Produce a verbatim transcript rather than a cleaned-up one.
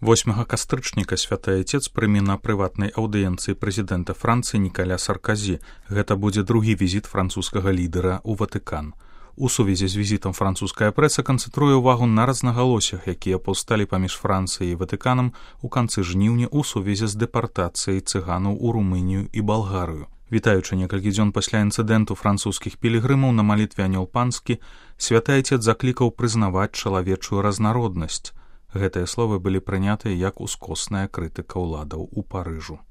восьмага кастрычніка святы айцец прыме на прыватнай аўдыенцыі прэзідэнта Францыі Нікаля Сарказі. Гэта будзе другі візіт французскага лідара ў Ватыкан. У сувязі з візітам французская прэса канцэнтруе ўвагу на рознагалоссях, якія паўсталі паміж Францыяй і Ватыканам у канцы жніўня ў сувязі з дэпартацыяй цыганаў у Румынію і Балгарыю. Вітаючы некалькі дзён пасля інцыдэнту французскіх пілігрымаў на малітве анёл панскі, святы айцец заклікаў прызнаваць чалавечую разнароднасць. Гэтыя словы былі прынятыя як ускосная крытыка ўладаў у Парыжу.